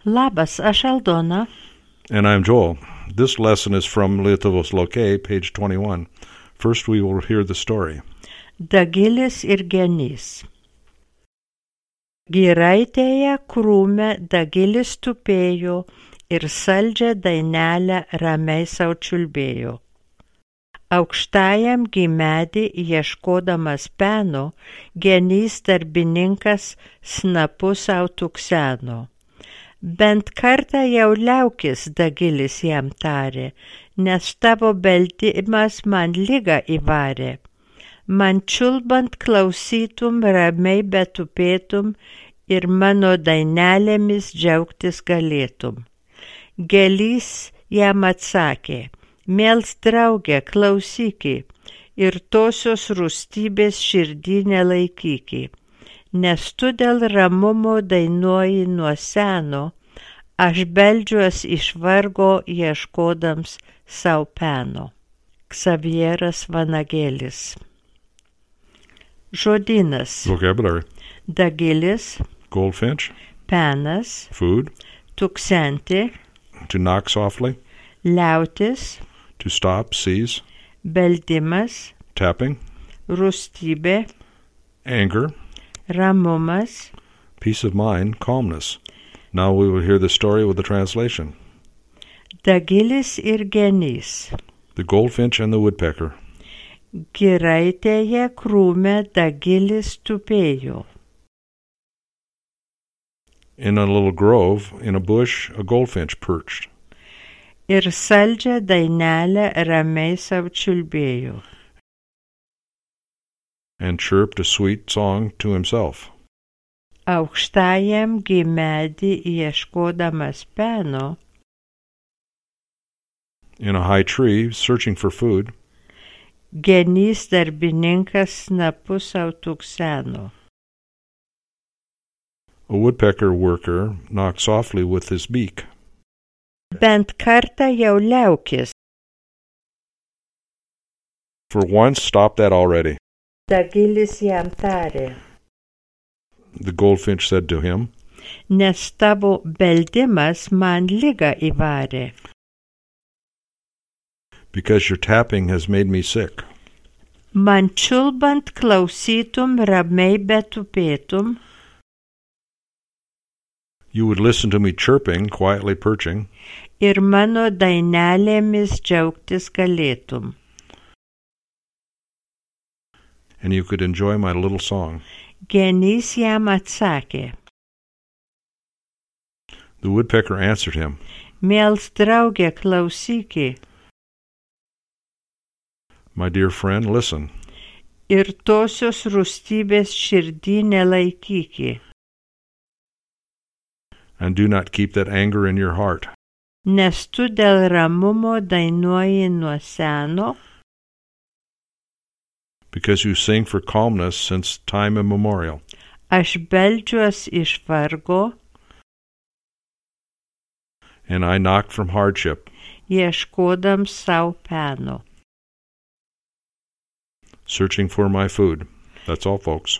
Labas, aš Aldona. And I'm Joel. This lesson is from Lietuvos Lokė, page 21. First we will hear the story. Dagilis ir genys. Giraitėje krūme Dagilis tupėjo ir saldžią dainelę ramiai sau čiulbėjo. Aukštajam gimedį ieškodamas peno, genys darbininkas snapu sau tukseno. Bent kartą jau liaukis, Dagilis jam tarė, nes tavo beldimas man ligą įvarė. Man čiulbant klausytum, ramiai betupėtum ir mano dainelėmis džiaugtis galėtum. Gelys jam atsakė, miels drauge, klausyki ir tosios rūstybės širdį nelaikyki, nes tu dėl ramumo dainuoji nuo seno, aš beldžiuos iš vargo ieškodams sau peno. Ksavieras Vanagėlis. Žodynas. Vocabulary. Dagilis, Goldfinch. penas, Food. tuksenti, To knock softly. liautis, To stop, cease. beldimas, Tapping. rūstybė, Anger. ramumas. Peace of mind, calmness. Now we will hear the story with the translation. Dagilis ir genys. The goldfinch and the woodpecker. Giraitėje krūme Dagilis tupėjo. In a little grove, in a bush, a goldfinch perched. Ir saldžią dainelę ramiai sau čiulbėjo. And chirped a sweet song to himself. Aukštajam gimedį ieškodamas peno, In a high tree, searching for food, genys darbininkas snapu sau tukseno. a woodpecker worker knocked softly with his beak. Bent kartą jau liaukis, For once, stop that already, Dagilis jam tarė, the goldfinch said to him, nes tavo beldimas man ligą įvarė. because your tapping has made me sick. Man čiulbant klausytum, ramiai betupėtum You would listen to me chirping, quietly perching, ir mano dainelėmis džiaugtis galėtum. and you could enjoy my little song. Genys jam atsakė, The woodpecker answered him, miels drauge, klausyki My dear friend, listen, ir tosios rūstybės širdį nelaikyki, and do not keep that anger in your heart, nes tu dėl ramumo dainuoji nuo seno, because you sing for calmness since time immemorial. aš beldžiuos iš vargo, And I knocked from hardship, ieškodams sau peno. searching for my food. That's all, folks.